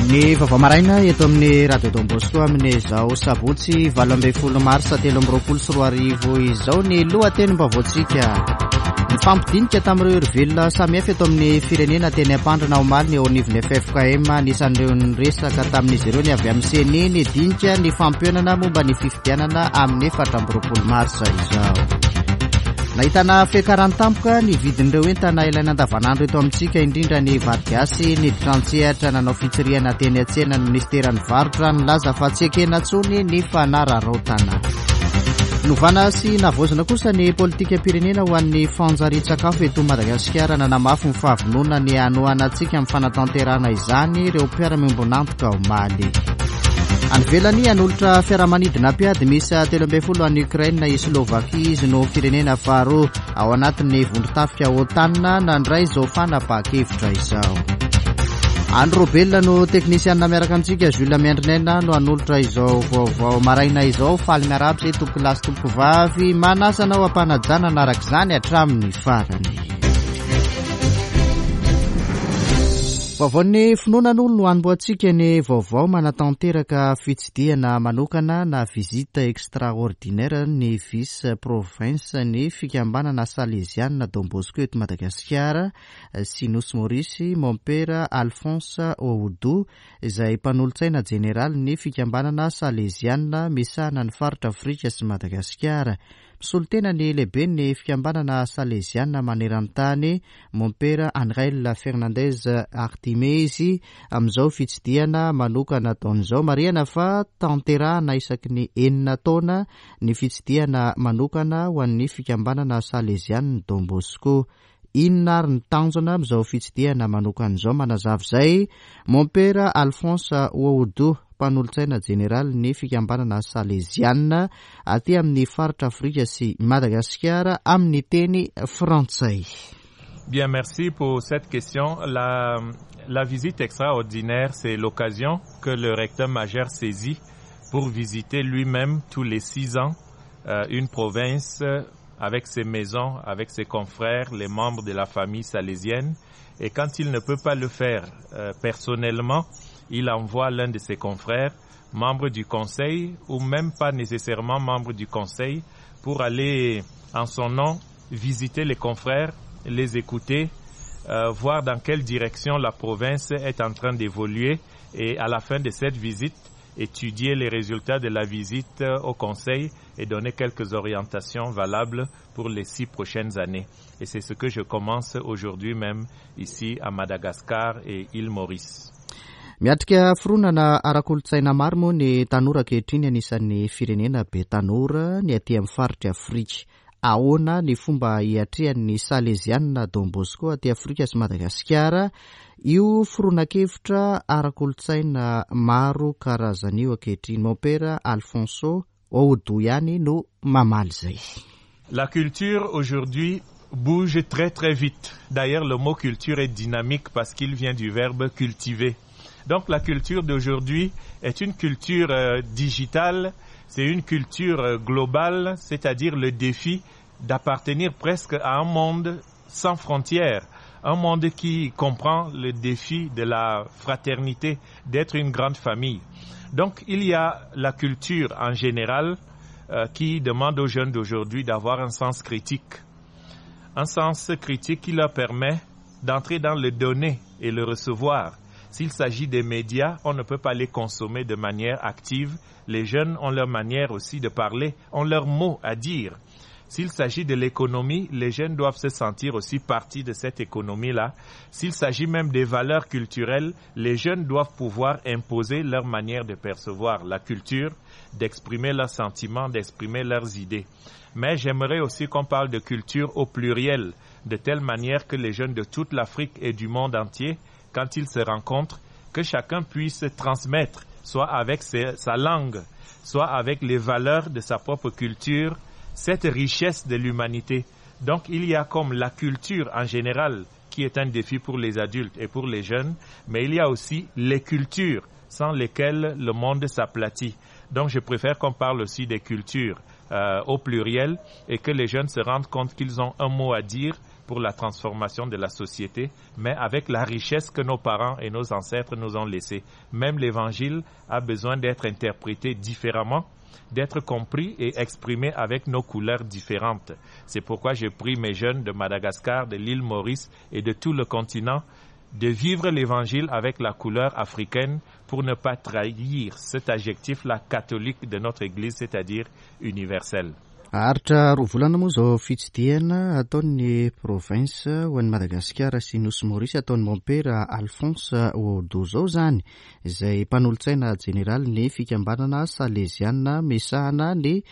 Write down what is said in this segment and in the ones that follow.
Ny vaovao maraina eto amin'ny Radio Don Bosco amin'izao sabotsy 18 marsa 2023 izao ny lohatenim-baovaontsika. Nifampidinika tamin'ireo herivelona samihafa eto amin'ny firenena teny Ampandrana omaly ny eo anivon'ny FFKM. Anisan'ireo niresaka tamin'izy ireo ny avy amin'ny CENI nidinika ny fampihaonana momba ny fifidianana amin'ny 24 marsa izao. Nahitana fiakarany tampoka ny vidin'ireo entana ilaina andavanandro eto amintsika, indrindra ny vary gasy. Niditra an-tsehatra nanao fitsirihana teny an-tsena ny minisiteran'ny varotra nilaza fa tsy ekena intsony ny fanararaotana. Novana sy navaozina kosa ny politikam-pirenena ho an'ny fanjarian-tsakafo eto Madagasikara. Nanamafy ny fahavononana ny hanohana antsika amin'ny fanatanterahana izany ireo mpiara-miombon'antoka omaly. Any ivelany, hanolotra fiaramanidina mpiady miisa 13 an'i Ukraine i Slovakia. Izy no firenena faharoa ao anatin'ny vondron-tafika OTAN nandray izao fanapahan-kevitra izao. Andry Robelina no teknisianina miaraka amintsika, Jules Miandrinaina no hanolotra izao vaovao maraina izao. Faly miarahaba izay tompoko lahy sy tompoko vavy, manasa anao am-panajana hanaraka izany hatramin'ny farany. Vaovaon'ny finoana aloha no hanombohantsika ny vaovao manatanteraka fitsidihana manokana na visite extraordinaire ny vice province ny fikambanana Saleziana Don Bosco eto Madagasikara sy Nosy Maurice, Mompera Alphonse Oudou izay mpanolotsaina jeneralin'ny fikambanana Saleziana misahana ny faritra Afrika sy Madagasikara. Misolo tena ny lehiben'ny fikambanana Saleziana maneran-tany, Mompera Angel Fernandez Artime izy amin'izao fitsidihana manokana ataony izao. Marihana fa tanterahana isaky ny enina taona ny fitsidihana manokana ho an'ny fikambanana Salezian'ny Don Bosco. Inona ary ny tanjona amin'izao fitsidihana manokana izao? Manazava izay Mompera Alphonse Ououdou, mpanolotsaina jeneralin'ny fikambanana Saleziana aty amin'ny faritra Afrika sy Madagasikara amin'ny teny frantsay. Bien, merci pour cette question. La, la visite extraordinaire, c'est l'occasion que le recteur majeur saisit pour visiter lui-même tous les six ans euh, une province avec ses maisons, avec ses confrères, les membres de la famille salésienne. Et quand il ne peut pas le faire euh, personnellement, il envoie l'un de ses confrères, membre du conseil ou même pas nécessairement membre du conseil, pour aller en son nom visiter les confrères, les écouter, euh, voir dans quelle direction la province est en train d'évoluer et à la fin de cette visite, étudier les résultats de la visite au conseil et donner quelques orientations valables pour les six prochaines années. Et c'est ce que je commence aujourd'hui même ici à Madagascar et île Maurice. Miatrika fironana ara-kolontsaina maro moa ny tanora ankehitriny anisan'ny firenena be tanora ny aty amin'ny faritry Afrika. Ahoana ny fomba hiatrehan'ny Salezianina Don Bosco aty Afrika sy Madagasikara io fironan-kevitra ara-kolontsaina maro karazana io ankehitriny? Mompera Alfonso Ououdou ihany no mamaly izay. La culture aujourd'hui bouge très très vite. D'ailleurs, le mot culture est dynamique parce qu'il vient du verbe cultiver. Donc la culture d'aujourd'hui est une culture euh, digitale, c'est une culture euh, globale, c'est-à-dire le défi d'appartenir presque à un monde sans frontières, un monde qui comprend le défi de la fraternité, d'être une grande famille. Donc il y a la culture en général euh, qui demande aux jeunes d'aujourd'hui d'avoir un sens critique. Un sens critique qui leur permet d'entrer dans le donner et le recevoir. S'il s'agit des médias, on ne peut pas les consommer de manière active. Les jeunes ont leur manière aussi de parler, ont leur mot à dire. S'il s'agit de l'économie, les jeunes doivent se sentir aussi partie de cette économie-là. S'il s'agit même des valeurs culturelles, les jeunes doivent pouvoir imposer leur manière de percevoir la culture, d'exprimer leurs sentiments, d'exprimer leurs idées. Mais j'aimerais aussi qu'on parle de culture au pluriel, de telle manière que les jeunes de toute l'Afrique et du monde entier, quand ils se rencontrent, que chacun puisse transmettre, soit avec sa langue, soit avec les valeurs de sa propre culture, cette richesse de l'humanité. Donc il y a comme la culture en général qui est un défi pour les adultes et pour les jeunes, mais il y a aussi les cultures sans lesquelles le monde s'aplatit. Donc je préfère qu'on parle aussi des cultures au pluriel et que les jeunes se rendent compte qu'ils ont un mot à dire pour la transformation de la société, mais avec la richesse que nos parents et nos ancêtres nous ont laissée. Même l'évangile a besoin d'être interprété différemment, d'être compris et exprimé avec nos couleurs différentes. C'est pourquoi j'ai pris mes jeunes de Madagascar, de l'île Maurice et de tout le continent de vivre l'évangile avec la couleur africaine pour ne pas trahir cet adjectif-là catholique de notre Église, c'est-à-dire universel. Haharitra roa volana moa izao fitsidihana ataon'ny province ho an'i Madagasikara sy Nosy Maurice ataon'i Mompera Alphonse Odo izao izany, izay mpanolotsaina jeneralin'ny fikambanana Saleziana misahana ny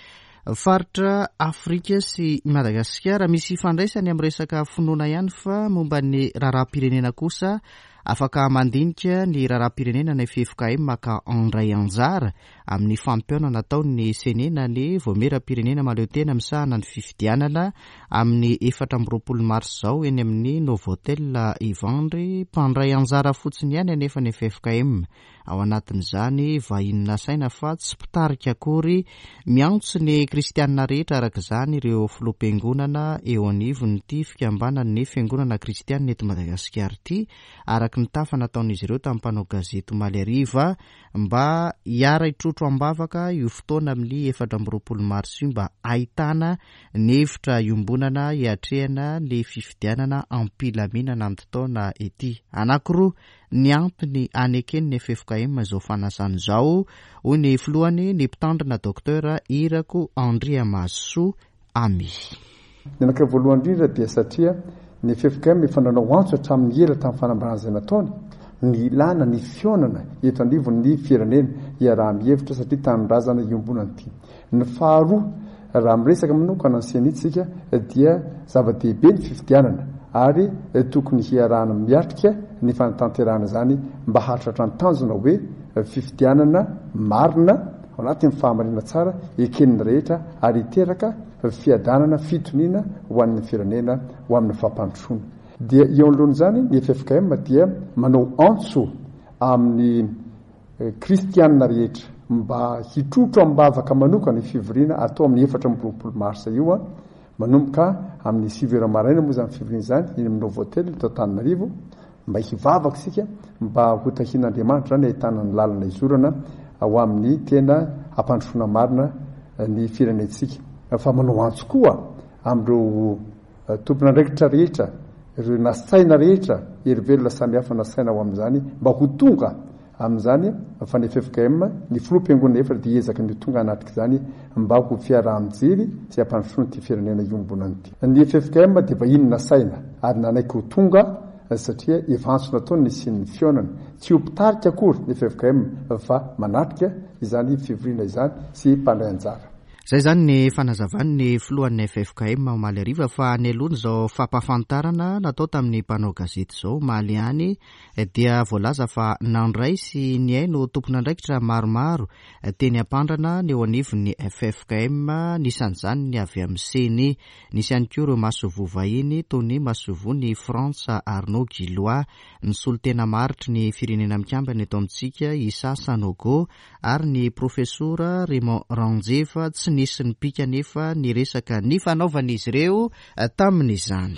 faritra Afrika sy Madagasikara. Misy ifandraisany amin'ny resaka finoana ihany fa momba ny raharaham-pirenena kosa afaka mandinika ny raharaham-pirenena ny ffkm ka handray anjara amin'ny fampihaonana ataon'ny Ceni na ny Vaomieram-pirenena mahaleotena misahana ny fifidianana amin'ny 24 marsa izao eny amin'ny Novotel Ivandry. Mpandray anjara fotsiny ihany anefa ny ffkm ao anatin'izany, vahiny nasaina fa tsy mpitarika akory. Miantso ny kristianina rehetra araka izany ireo filoham-piangonana eo anivon'ity fikambanan'ny fiangonana kristianina eto Madagasikara ity araka ny tafa nataon'izy ireo tamin'ny mpanao gazety omaly hariva mba hiara-hitrotro am-bavaka io fotoana amin'ny 24 marsa io mba hahitana ny hevitra iombonana hiatrehana ny fifidianana am-pilaminana amin'ity taona ity. Anankiroa ny antony haneken'ny ffkm izao fanasana izao, hoy ny filohany, ny mpitandrina Docteur Irako Andriamahazosoa Amy. Ny anankiray voalohany indrindra dia satria ny ffkm efa nanao antso hatramin'ny ela tamin'ny fanambarana izay nataony, ny ilàna ny fihaonana eto anivon'ny firenena hiaraha-mihevitra satria tanindrazana iombonana ity. Ny faharoa, raha miresaka manokana ny Ceni tsika dia zava-dehibe ny fifidianana ary tokony hiarahana miatrika ny fanatanterahana izany mba hahatratra ny tanjona hoe fifidianana marina ao anatin'ny fahamarinana tsara eken'ny rehetra ary hiteraka fiadanana, fitoniana ho an'ny firenena ho amin'ny fampandrosoana. Dia eo anoloan'izany ny ffkm dia manao antso amin'ny Kristianina rehetra mba hitrotro am-bavaka manokana io fivoriana atao amin'ny 24 marsa io, manomboka amin'ny sivy ora maraina moa izany fivoriana izany, eny amin'ny Novotel eto Antananarivo, mba hivavaka isika mba ho tahian'Andriamanitra izany ahitana ny lalana izorana ho amin'ny tena hampandrosoana marina ny firenentsika. Fa manao antso koa amin'ireo tompon'andraikitra rehetra, ireo nasaina rehetra, hery velona samihafa nasaina ho amin'izany mba ho tonga amin'izany fa ny ffkm, ny filoham-piangonana efatra dia hiezaka ny ho tonga hanatrika izany mba ho fiaraha-mijery sy hampandrosoana ity firenena iombonana ity. Ny ffkm dia vahiny nasaina ary nanaiky ho tonga satria efa antso nataony ny hisian'ny fihaonana. Tsy ho mpitarika akory ny ffkm fa manatrika izany fivoriana izany sy mpandray anjara. Izay izany ny fanazavan'ny filohan'ny ffkm omaly hariva fa nialoha izao fampahafantarana natao tamin'ny mpanao gazety izao omaly ihany dia voalaza fa nandray sy nihaino tompon'andraikitra maromaro teny Ampandrana ny eo anivon'ny ffkm, anisan'izany ny avy amin'ny Ceni. Nisy ihany koa ireo masoivoho vahiny toy ny masoivohon'i Frantsa Arnaud Guillois, ny solontena maharitry ny Firenena Mikambana eto amintsika Issa Sanogo ary ny Profesora Raymond Ranjeva, tsy nisy nipika anefa ny resaka nifanaovan'izy ireo tamin'izany.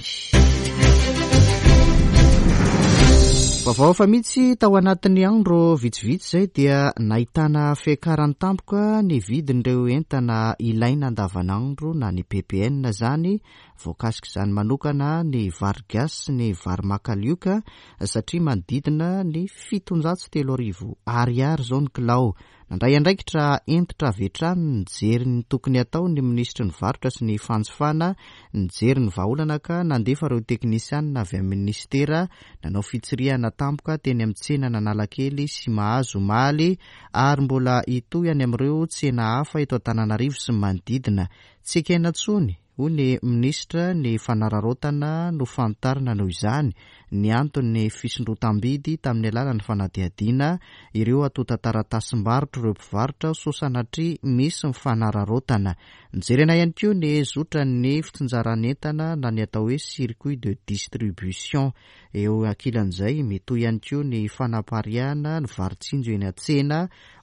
Vaovao hafa mihitsy, tao anatin'ny andro vitsivitsy izay dia nahitana fiakarany tampoka ny vidin'ireo entana ilaina andavanandro na ny ppn izany, voakasik'izany manokana ny vary gasy sy ny vary makalioka satria manodidina ny 3700 ariary izao ny kilao. Nandray andraikitra hentitra avy hatrany nijery ny tokony hatao ny minisitry ny varotra sy ny fanjifana, nijery ny vahaolana ka nandefa ireo teknisianina avy amin'ny minisitera nanao fitsirihana tampoka teny amin'ny tsenan'Analakely sy Mahazo omaly ary mbola hitohy any amin'ireo tsena hafa eto Antananarivo sy ny manodidina. Tsy ekena intsony hoy ny minisitra, ny fanararaotana nofantarina noho izany ny anton'ny fisondrotam-bidy tamin'ny alalan'ny fanadihadiana ireo antontan-taratasim-barotr'ireo mpivarotra sao sanatria misy ny fanararaotana. Nojerena ihany koa ny zotran'ny fitsinjaran'entana na ny atao hoe circuit de distribution. Eo ankilan'izay, mitohy ihany koa ny fanapariahana ny vary tsinjo eny an-tsena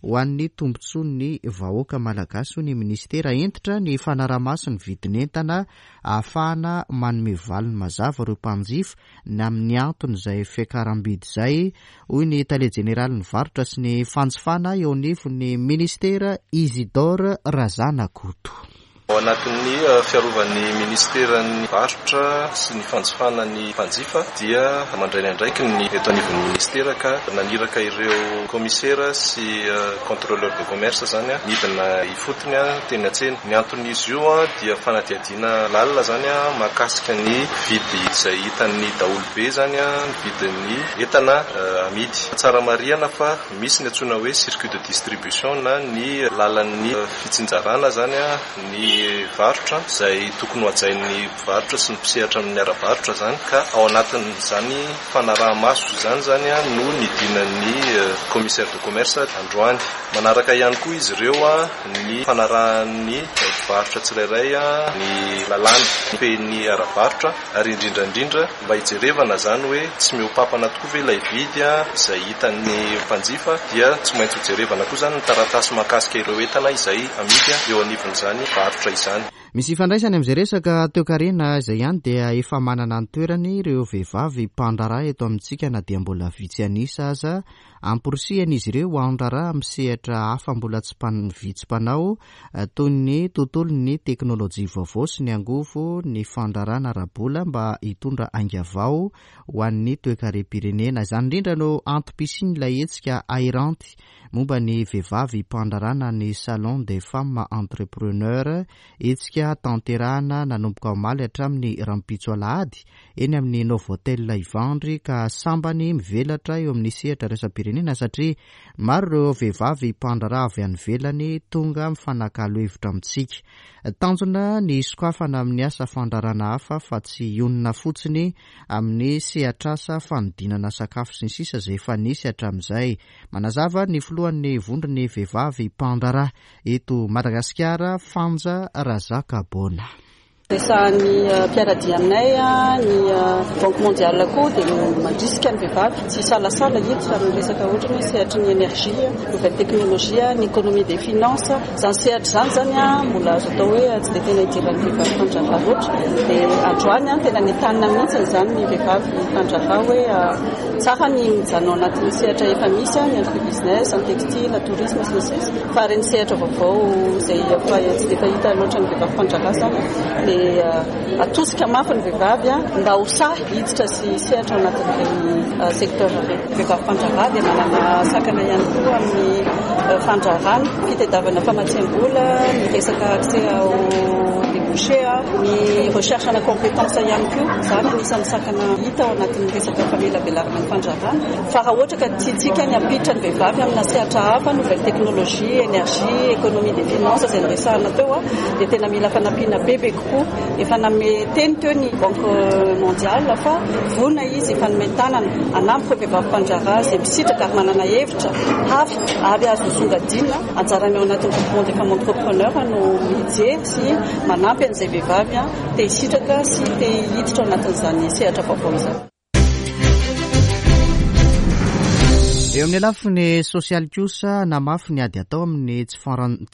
ho an'ny tombontsoan'ny vahoaka malagasy, hoy ny minisitera. Hentitra ny fanaraha-maso ny vidin'entana ahafahana manome valiny mazava ireo mpanjifa ny amin'ny anton'izay fiakaram-bidy izay, hoy ny tale jeneralin'ny varotra sy ny fanjifana eo anivon'ny minisitera, Isidore Razanakoto. Ao anatin'ny fiarovan'ny minisiteran'ny varotra sy ny fanjifana ny mpanjifa dia mandray ny andraikiny ny eto anivon'ny minisitera ka naniraka ireo kaomisera sy contrôleur de commerce izany nidina ifotony teny an-tsena. Ny anton'izy io dia fanadihadiana lalina izany mahakasika ny vidy izay hitan'ny daholobe izany ny vidin'ny entana amidy. Tsara marihana fa misy ny antsoina hoe circuit de distribution na ny lalan'ny fitsinjarana izany ny varotra izay tokony ho hajain'ny mpivarotra sy ny mpisehatra amin'ny ara-barotra izany ka ao anatin'izany fanaraha-maso izany izany no nidinan'ny commissaire de commerce androany. Manaraka ihany koa izy ireo ny fanarahan'ny mpivarotra tsirairay ny lalàna mifehy ny ara-barotra ary indrindra indrindra mba hijerevana izany hoe tsy mihoa-papana tokoa ve ilay vidy izay hitan'ny mpanjifa dia tsy maintsy hojerevana koa izany ny taratasy mahakasika ireo entana izay amidy eo anivon'izany varotra izany. Misy ifandraisany amin'izay resaka toekarena izay ihany dia efa manana ny toerany ireo vehivavy mpandraharaha eto amintsika na dia mbola vitsy an'isa aza. Amporisihana izy ireo handraharaha amin'ny sehatra hafa mbola tsy vitsy mpanao toy ny tontolon'ny teknolojia vaovao sy ny angovo, ny fandraharahana ara-bola mba hitondra ainga vao ho an'ny toekarem-pirenena. Izany indrindra no antom-pisian'ilay hetsika Hairanty momba ny vehivavy mpandraharaha na ny Salon des femmes entrepreneurs, hetsika tanterahana nanomboka omaly hatramin'ny rahampitso alahady eny amin'ny Novotel Ivandry ka sambany mivelatra eo amin'ny sehatra iraisam-pirenena satria maro ireo vehivavy mpandraharaha avy any ivelany tonga mifanakalo hevitra amintsika. Tanjona ny hisokafana amin'ny asa fandraharahana hafa fa tsy hionona fotsiny amin'ny sehatr'asa fanodinana sakafo sy ny sisa izay efa nisy hatramin'izay. Manazava ny filohan'ny vondron'ny vehivavy mpandraharaha eto Madagasikara, Fanja Razakaboana. Resahan'ny mpiara-dia aminay, ny Banque mondiale koa dia mandrisika ny vehivavy tsy hisalasala hiditra amin'ny resaka ohatra ny hoe sehatry ny énergie, nouvelle technologie, ny économie des finances. Izany sehatra izany izany mbola azo atao hoe tsy dia tena idiran'ny vehivavy mpandraharaha loatra. Dia androany tena nentanina mihitsy izany ny vehivavy mpandraharaha hoe tsara ny mijanona ao anatin'ny sehatra efa misy, ny agribusiness, ny textile, tourisme sy ny sisa. Fa ireny sehatra vaovao izay efa tsy dia fahita loatra ny vehivavy mpandraharaha izany dia atosika mafy ny vehivavy mba ho sahy hiditra sy hisehatra ao anatin'ireny secteur ireny. Ny vehivavy mpandraharaha dia manana sakana ihany koa amin'ny fandraharahana, fitadiavana famatsiam-bola, ny resaka accès au débouché, ny recherche ana compétence ihany koa. Izany anisan'ny sakana hita ao anatin'ny resaka famelabelarana ny fandraharahana. Fa raha ohatra ka tiantsika ny hampiditra ny vehivavy amina sehatra hafa, nouvelle technologie, énergie, économie des finances izay noresahana teo dia tena mila fanampiana bebe kokoa. Efa nanome teny teo ny Banque mondiale fa vonona izy hifanome tanana hanampy ireo vehivavy mpandraharaha izay misitraka ary manana hevitra hafa ary azo songadinina. Anjarany ao anatin'ny groupement des femmes entrepreneurs no mijery sy manampy an'izay vehivavy te hisitraka sy te hiditra ao anatin'izany sehatra vaovao izany. Eo amin'ny lafiny sosialy kosa, namafy ny ady atao amin'ny tsy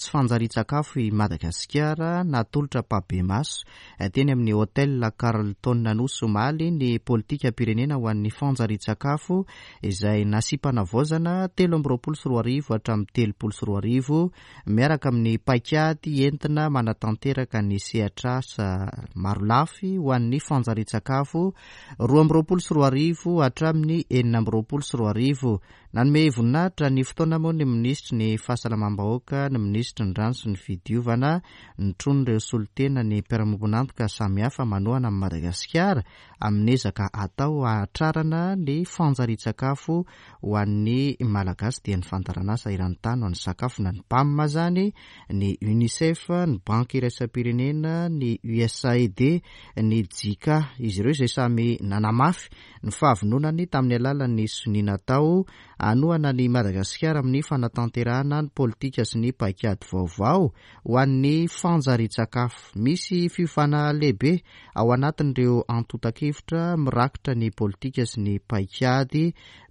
fanjarian-tsakafo i Madagasikara. Natolotra ampahibemaso teny amin'ny Hotel Carlton Anosy omaly ny politikam-pirenena ho an'ny fanjarian-tsakafo izay nasiam-panavaozana 2023 hatramin'ny 2030 miaraka amin'ny paikady entina manatanteraka ny sehatr'asa marolafy ho an'ny fanjarian-tsakafo 2022 hatramin'ny 2026. Nanome voninahitra ny fotoana moa ny minisitry ny Fahasalamam-bahoaka, ny minisitry ny Rano sy ny Fidiovana, notron'ireo solontena ny mpiara-miombon'antoka samihafa manohana an'i Madagasikara amin'ny ezaka atao hahatrarana ny fanjarian-tsakafo ho an'ny Malagasy dia ny fandaharanasa eran-tany ho an'ny sakafo na ny PAM izany, ny Unicef, ny Banky iraisam-pirenena, ny USAID, ny Jica. Izy ireo izay samy nanamafy ny fahavononany tamin'ny alalan'ny sonia natao Hanohana an'i Madagasikara amin'ny fanatanterahana ny politika sy ny paikady vaovao ho an'ny fanjarian-tsakafo. Misy fiovana lehibe ao anatin'ireo antontan-kevitra mirakitra ny politika sy ny paikady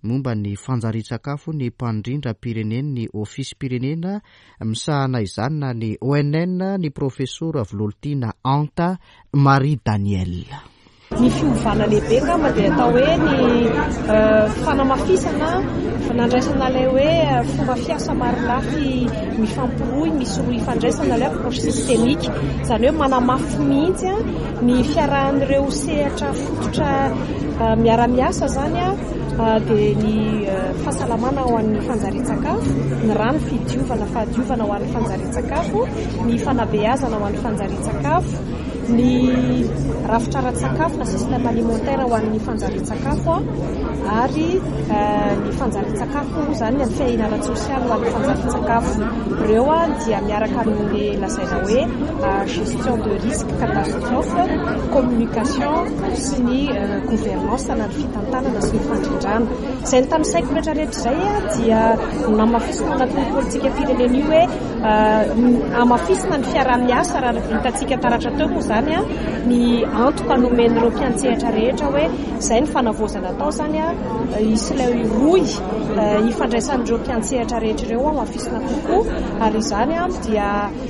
momba ny fanjarian-tsakafo ny mpandrindram-pirenen'ny Ofisim-pirenena misahana izany na ny ONN, ny Profesora Vololtiana Anta Marie Danielle. Ny fiovana lehibe angamba dia atao hoe ny fanamafisana, nandraisana ilay hoe fomba fiasa marolafy mifampirohy, misy rohy ifandraisana, ilay approche systémique. Izany hoe manamafy mihitsy ny fiarahan'ireo sehatra fototra miara-miasa izany dia ny fahasalamana ho an'ny fanjarian-tsakafo, ny rano fidiovana, fahadiovana ho an'ny fanjarian-tsakafo, ny fanabeazana ho an'ny fanjarian-tsakafo. Ny rafitra ara-tsakafo na système alimentaire ho an'ny fanjarian-tsakafo ary ny fanjarian-tsakafo moa izany ny fiahiana ara-tsosialy ho an'ny fanjarian-tsakafo. Ireo dia miaraka amin'ilay lazaina hoe gestion de risque catastrophe, communication sy ny gouvernance na ny fitantanana sy ny fandrindrana. Izay notanisaiko rehetra rehetra izay dia namafisina ao anatin'ny politikam-pirenena io hoe Hamafisina ny fiaraha-miasa raha hitantsika taratra teo moa izany ny antoka nomen'ireo mpiantsehatra rehetra hoe izay ny fanavaozana atao izany hisy ilay rohy ifandraisan'ireo mpiantsehatra rehetra ireo hamafisina kokoa ary izany dia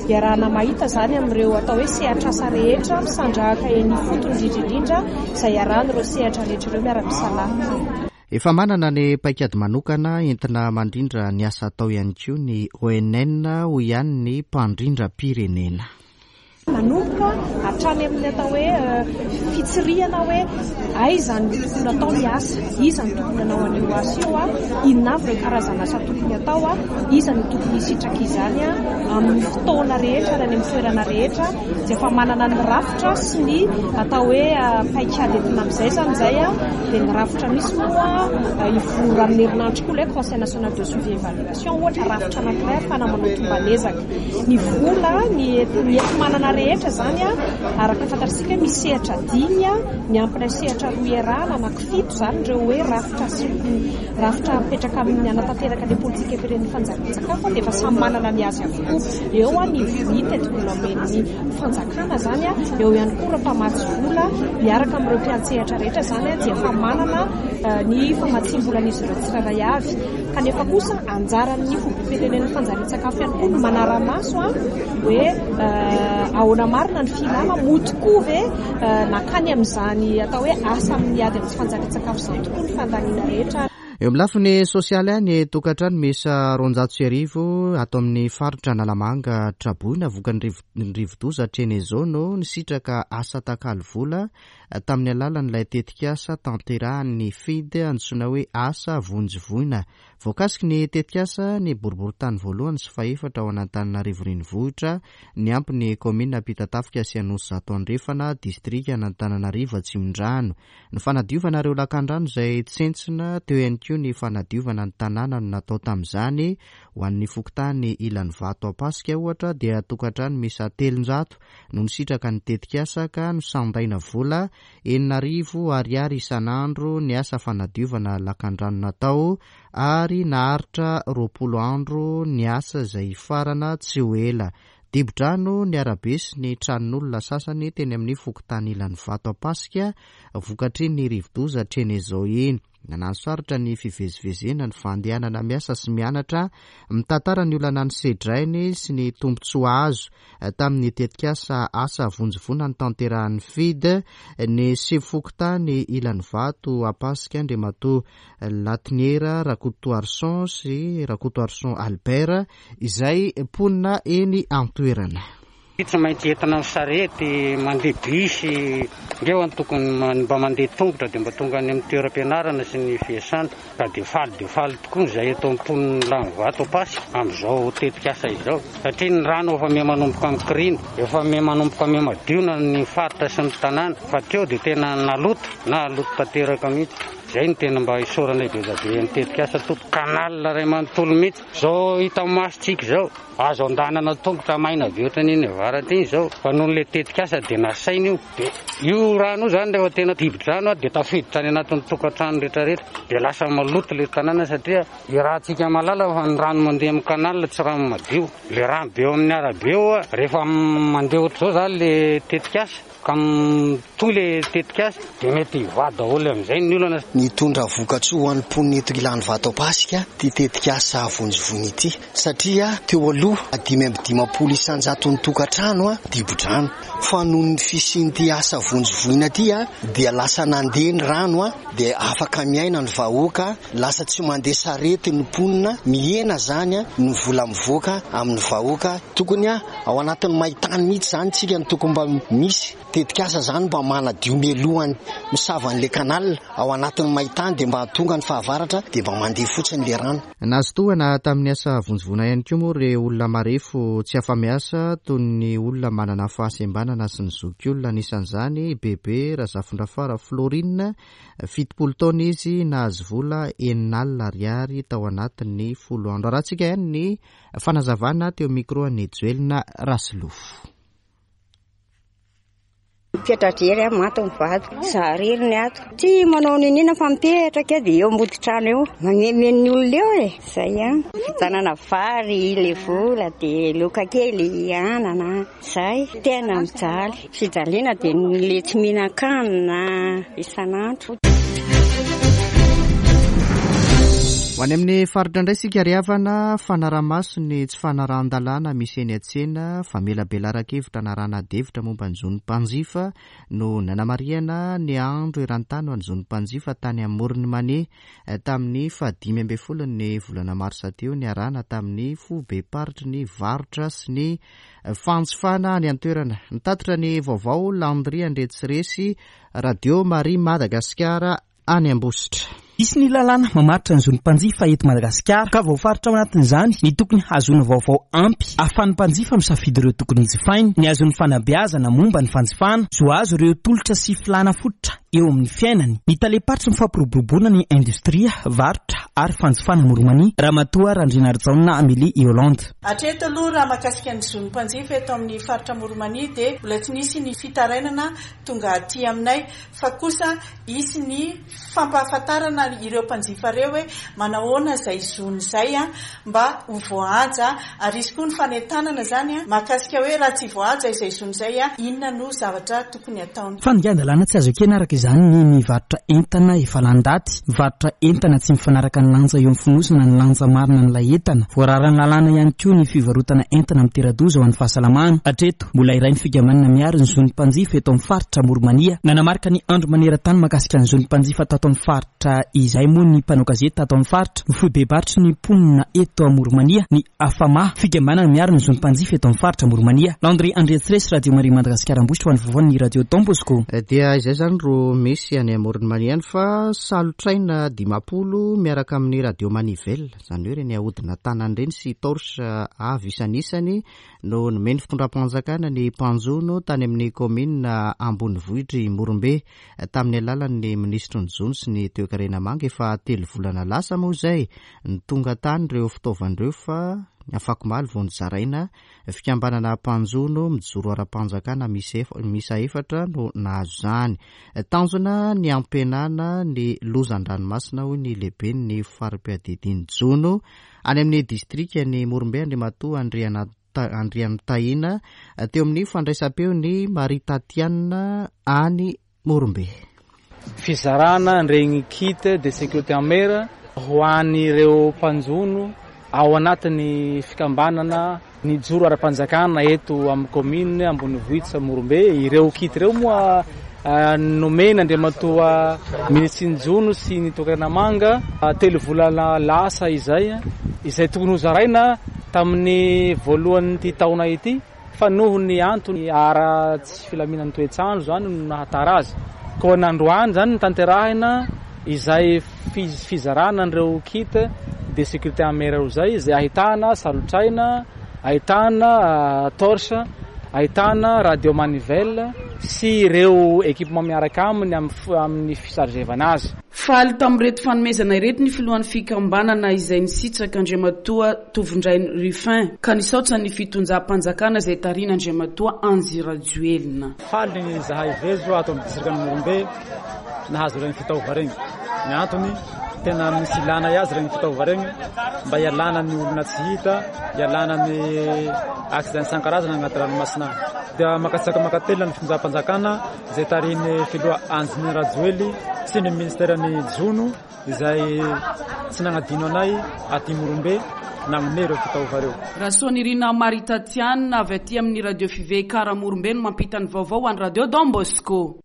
iarahana mahita izany amin'ireo atao hoe sehatr'asa rehetra misandrahaka eny ifotony indrindra indrindra izay iarahan'ireo sehatra rehetra ireo miara-misalahy. Efa manana ny paikady manokana entina mandrindra ny asa atao ihany koa ny ONN, hoy ihany ny mpandrindram-pirenena. Manomboka hatrany amin'ny atao hoe fitsirihana hoe aiza no tokony atao ny asa, iza no tokony hanao an'io asa io, inona avy ireo karazana asa tokony atao, iza no tokony hisitraka izany amin'ny fotoana rehetra ary any amin'ny toerana rehetra. Dia efa manana ny rafitra sy ny atao hoe paikady entina amin'izay izany izay dia ny rafitra misy moa hivory amin'ny herinandro koa ilay conseil national de suivi évaluation ohatra rafitra anankiray ahafahana manao tomban'ezaka. Ny vola, ny enti-manana rehetra izany araka ny fantatsika misy sehatra dimy miampy ilay sehatra roa iarahana anankifito izany ireo hoe rafitra sy rafitra mipetraka amin'ny hanatanteraka ilay politikam-pirenen'ny fanjarian-tsakafo dia efa samy manana ny azy avokoa. Eo ny ny tetibola omen'ny fanjakana izany, eo ihany koa ireo mpamatsy vola miaraka amin'ireo mpiantsehatra rehetra izany dia efa manana ny famatsiam-bolan'izy ireo tsirairay avy. Kanefa kosa anjaran'ny foibem-pirenen'ny fanjarian-tsakafo ihany koa ny manara-maso hoe ahoana marina ny filana, moa tokoa ve nankany amin'izany atao hoe asa amin'ny ady amin'ny tsy fanjarian-tsakafo izany tokoa ny fandaniana rehetra. Eo amin'ny lafiny sosialy any, tokantrano miisa 12 ato amin'ny faritra Analamanga traboina vokany rivodoza Cheneso no nisitraka asa takalo vola tamin'ny alalan'ilay tetikasa tanterahan'ny FID antsoina hoe Asa Vonjy Voina. Voakasiky ny tetikasa ny boriborintany voalohany sy fahefatra ao an'Antananarivo Renivohitra, niampy ny kaominina Ampitatafika sy Anosizato Andrefana, distrikan'Antananarivo Atsimondrano. Ny fanadiovana ireo lakandrano izay tsentsina, teo ihany koa ny fanadiovana ny tanàna no natao tamin'izany. Ho an'ny fokontany Ilanivato Ampasika ohatra dia tokantrano miisa 300 no nisitraka ny tetikasa ka nosandaina vola 6000 ariary isan'andro ny asa fanadiovana lakandrano natao ary naharitra 20 andro ny asa izay hifarana tsy ho ela. Dibo-drano ny arabe sy ny tranon'olona sasany teny amin'ny fokontany Ilanivato Ampasika vokatr'iny rivodoza Chenezo iny. Nananosarotra ny fivezivezena, ny fandehanana miasa sy mianatra, mitantara ny olana nosedrainy sy ny tombontsoa azo tamin'ny tetikasa Asa Vonjy Voina notanterahin'ny FID, ny sefo fokontany Ilanivato Ampasika Andriamatoa Latiniera Rakotoarison sy Rakotoarison Albert izay mponina eny an-toerana. Tsy maintsy entina amin'ny sarety, mandeha bus, ngeo any tokony mba mandeha tongotra dia mba tonga any amin'ny toeram-pianarana sy ny fiasana. Ka dia faly dia faly tokoa izay eto mponin'ny Lanivato Ampasy amin'izao tetikasa izao satria ny rano efa miha manomboka mikoriana, efa miha manomboka miha madio na ny faritra sy ny tanàna fa teo dia tena naloto, naloto tanteraka mihitsy. Izay no tena mba isaoranay be dia be ny tetikasa tompoko. Canal iray manontolo mihitsy. Izao hita masontsika izao, azo andanana tongotra maina be ohatran'iny avaratra iny izao. Fa noho ilay tetikasa dia nasaina io. Dia io rano io izany rehefa tena dibo-drano dia tafiditra any anatin'ny tokantrano rehetrarehetra. Dia lasa maloto ilay tanàna satria iarahantsika mahalala fa ny rano mandeha amin'ny canal tsy rano madio. Ilay rano be eo amin'ny arabe eo rehefa mandeha ohatr'izao izany ilay tetikasa. Ka mitohy le tetikasa dia mety hivaha daholo amin'izay ny olana. Nitondra vokatsoa ho an'ny mponina eto Ilanivato Ampasika ity tetikasa Vonjy Voina ity satria teo aloha 55 isan-jaton'ny tokantrano dibo-drano fa noho ny fisian'ity asa Vonjy Voina ity dia lasa nandeha ny rano dia afaka miaina ny vahoaka, lasa tsy mandeha sarety ny mponina, mihena izany ny vola mivoaka amin'ny vahoaka. Tokony Ao anatin'ny maintany mihitsy izany tsika no tokony mba misy tetikasa izany mba manadio mialohan'ny misava an'ilay canal ao anatin'ny maintany dia mba tonga ny fahavaratra dia mba mandeha fotsiny ilay rano. Nahazo tohana tamin'ny asa vonjy voina ihany koa moa ireo olona marefo tsy afa-miasa toy ny olona manana fahasembanana sy ny zokiolona anisan'izany i Bebe Razafindrafara Florine, 70 taona izy, nahazo vola 60 ariary tao anatin'ny folo andro. Arahantsika ihany ny Fanazavana teo micro an'i Joelina Rasolofo. Mipetra-drery aho, maty ny vadiko. Za irery ny ato. Tsy manao n'inon'inona fa mipetraka eo dia eo ambody trano eo. Magneme ny olona eo e. Zay ihany. Fividianana vary, le vola, dia loka kely, anana. Zay. Tena mijaly. Fijaliana dia le tsy mihinan-kanina isan'andro. Ho any amin'ny faritra indray isika ry havana, fanarahamaso ny tsy fanarahan-dalàna misy eny an-tsena, famelabelaran-kevitra anarahana adihevitra momba ny zon'ny mpanjifa no nanamarihana ny andro eran-tany ho an'ny zon'ny mpanjifa tany Amoron'i Mania tamin'ny faha-15 ny volana marsa teo niarahana tamin'ny foibem-paritry ny varotra sy ny Fanjifana any an-toerana. Nitatitra ny vaovao Landry Andriatsiresy, Radio Maria Madagasikara any Ambositra. Misy ny lalàna mamaritra ny zon'ny mpanjifa eto Madagasikara ka voafaritra ao anatin'izany ny tokony hahazoana vaovao ampy ahafahan'ny mpanjifa misafidy ireo tokony hijifainy, ny hahazoany fanabeazana momba ny fanjifana, zo hahazo ireo tolotra sy filàna fototra eo amin'ny fiainany. Ny talem-paritry ny fampiroboroboana ny indostria, varotra ary fanjifana Amoron'i Mania, Ramatoa Randrianarijaona Amélie Yolande. Hatreto aloha raha mahakasika ny zon'ny mpanjifa eto amin'ny faritra Amoron'i-Mania dia mbola tsy nisy ny fitarainana tonga aty aminay fa kosa hisy ny fampahafantarana ireo mpanjifa ireo hoe manahoana izay zony izay mba ho voahaja ary hisy koa ny fanentanana izany mahakasika hoe raha tsy voahaja izay zony izay inona no zavatra tokony hataony. Fandikan-dalàna tsy azo ekena araka izany ny mivarotra entana efa lany daty, mivarotra entana tsy mifanaraka ny lanja eo amin'ny fonosana ny lanja marina an'ilay entana. Voararan'ny lalàna ihany koa ny fivarotana entana mitera-doza ho an'ny fahasalamana. Hatreto, mbola iray ny fikambanana miaro ny zon'ny mpanjifa eto amin'ny faritra Amoron'i Mania. Nanamarika ny andro maneran-tany mahakasika ny zon'ny mpanjifa tato amin'ny faritra izay moa ny mpanao gazety tato amin'ny faritra, ny foibem-paritry ny mponina eto Amoron'i Mania, ny Afama, fikambanana miaro ny zon'ny mpanjifa eto amin'ny faritra Amoron'i Mania. Landry Andriatsiresy, Radio Maria Madagasikara Ambositra ho an'ny vaovaon'ny Radio Don Bosco. Dia izay izany ro misy any Amoron'i Mania any fa salotraina 50 miaraka amin'ny radio manivelle, izany hoe ireny ahodina tanana ireny sy torche avy isanisany no nomen'ny fitondram-panjakana ny mpanjono tany amin'ny kaominina ambonivohitr'i Morombe tamin'ny alalan'ny minisitry ny jono sy ny toekarena manga efa telo volana lasa moa izay Ny tonga tany ireo fitaovana ireo fa ny afakomaly vao nozaraina. Fikambanana mpanjono mijoro ara-panjakana miisa efatra no nahazo izany. Tanjona ny hampihenana ny loza an-dranomasina hoy ny lehiben'ny fari-piadidian'ny jono any amin'ny distrikan'i Morombe Andriamatoa Andrianotahina teo amin'ny fandraisam-peon'i Marie Tatiana any Morombe. Fizarana an'iregny kit de sécurité en mer ho an'ireo mpanjono ao anatin'ny fikambanana nijoro ara-panjakana eto amin'ny commune ambonivohitra Morombe. Ireo kit ireo moa nomena Andriamatoa Minisitry ny Jono sy ny Toekarena Manga telo volana lasa izay, izay tokony hozaraina tamin'ny voalohan'ity taona ity. Fa noho ny antony ara tsy filaminan'ny toetr'andro izany no nahatara azy. Koa nandroany izany notanterahina izay fizarana an'ireo kit de sécurité en mer ireo izay, izay ahitana salotraina, ahitana torche, ahitana radio manivelle. sy ireo équipement miaraka aminy amin'ny fisargevana azy. Faly tamin'ireto fanomezana ireto ny filohan'ny fikambanana izay nisitraka Andriamatoa Tovondrainy Ruffin ka nisaotra ny fitonjam-panjakana izay tarihin'Andriamatoa Andry Rajoelina. Faly izahay vezo ato amin'ny distrikan'i Morombe nahazo ireny fitaova ireny. Ny antony, tena misy ilana azy ireny fitaova ireny mba hialana ny olona tsy hita, hialana ny accident isan-karazany agnaty ranomasina agny. Dia mankasitraka mankatelina ny fitondram-panjakana izay tarihin'ny filoha Andry Rajoely sy ny ministeran'ny jono izay tsy nagnadino anay aty Morombe nagnome ireo fitaova ireo. Rasoanirina Marie Tatiana avy aty amin'ny Radio Fiveikara Morombe no mampita ny vaovao ho an'ny Radio Don Bosco.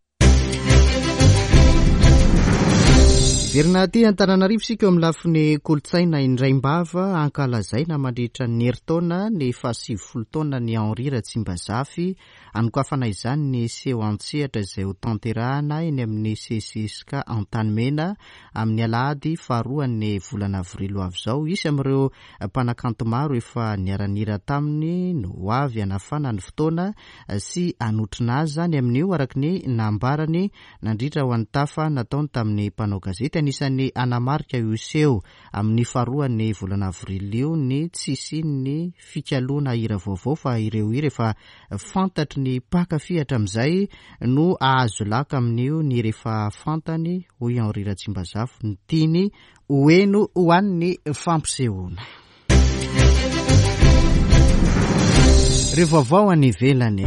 Hiverina aty Antananarivo isika eo amin'ny lafiny kolontsaina indraim-bava ankalazaina mandritra ny herintaona ny fahasivifolo taonan'i Henri Ratsimbazafy. Hanokafana izany ny seho an-tsehatra izay hotanterahana eny amin'ny CCSK Antanimena amin'ny alahady faharoan'ny volana avrily ho avy izao. Hisy amin'ireo mpanakanto maro efa niara-nihira taminy no ho avy hanafana ny fotoana sy hanotrona azy izany amin'io, araka ny nambarany nandritra ho an'ny tafa nataony tamin'ny mpanao gazety. Anisan'ny hanamarika io seho amin'ny faharoan'ny volana avrily io ny tsy hisian'ny fikaloana hira vaovao fa ireo hira efa fantatry ny mpankafy hatramin'izay no hahazo laka amin'io ny hira efa fantany, hoy Henri Ratsimbazafy, ny tiany ho heno ho an'ny fampisehoana. Ireo vaovao any ivelany.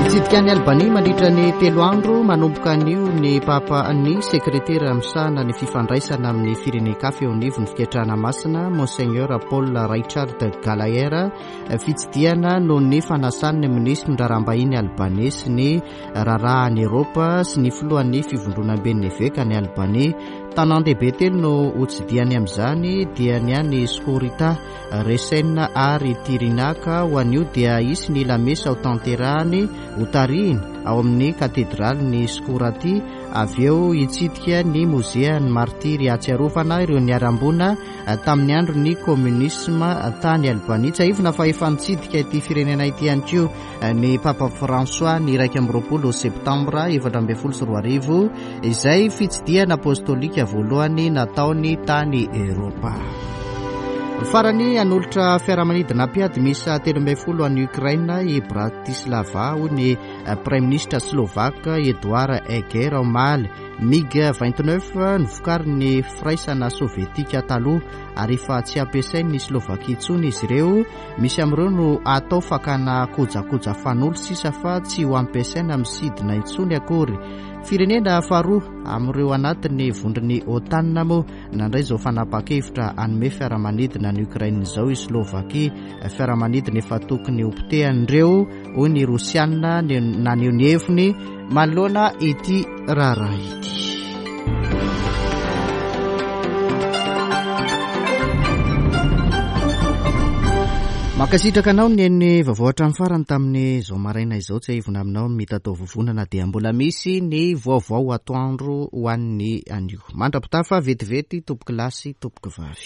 Hitsidika an'i Albania mandritra ny telo andro manomboka anio ny Papa ny sekretera misahana ny fifandraisana amin'ny firenen-kafa eo anivon'ny fiketrahana masina Monseigneur Paul Richard Gallagher. Fitsidihana noho ny fanasan'ny minisitry ny raharaham-bahiny albaney sy ny raharaha any Eropa sy ny filohan'ny fivondronamben'ny eveka any Albania. Tanàn-dehibe telo no hotsidihany amin'izany dia ny any Skorita, Resen ary Tirina ka ho an'io dia hisy ny lamesa hotanterahany hotarihiny ao amin'ny katedralin'i Skorati avy eo hitsidika ny mozean'ny martiry hahatsiarovana ireo niharam-boina tamin'ny andron'ny kominisma tany Albania. Tsiahivina fa efa nitsidika ity firenena ity ihany koa ny Papa François ny 21 septambra 2014, izay fitsidihana apostolika voalohany nataony tany Eoropa. Farany, hanolotra fiaramanidina mpiady miisa 13 an'i Ukraine i Bratislava, hoy ny Praiminisitra Slovak Eduard Heger omaly. MiG 29 novokarin'ny Firaisana Sovietika taloha ary efa tsy ampiasain'ny Slovakia intsony izy ireo. Misy amin'ireo no atao fakana kojakoja fanolo sisa fa tsy ho ampiasaina amin'ny sidina intsony akory. Firenena faharoa amin'ireo anatin'ny vondron'ny OTAN moa nandray izao fanapahan-kevitra hanome fiaramanidina an'i Ukraine izao i Slovakia. Fiaramanidina efa tokony hopotehan'ireo hoy ny Rosiana naneho ny heviny manoloana ity raharaha ity. Mankasitraka anao ny eny vaovao hatramin'ny farany tamin'izao maraina izao. Tsiahivina aminao ny mitatao vovonana dia mbola misy ny vaovao atoandro ho an'ny anio. Mandra-pitafa vetivety tompoko lahy sy tompoko vavy.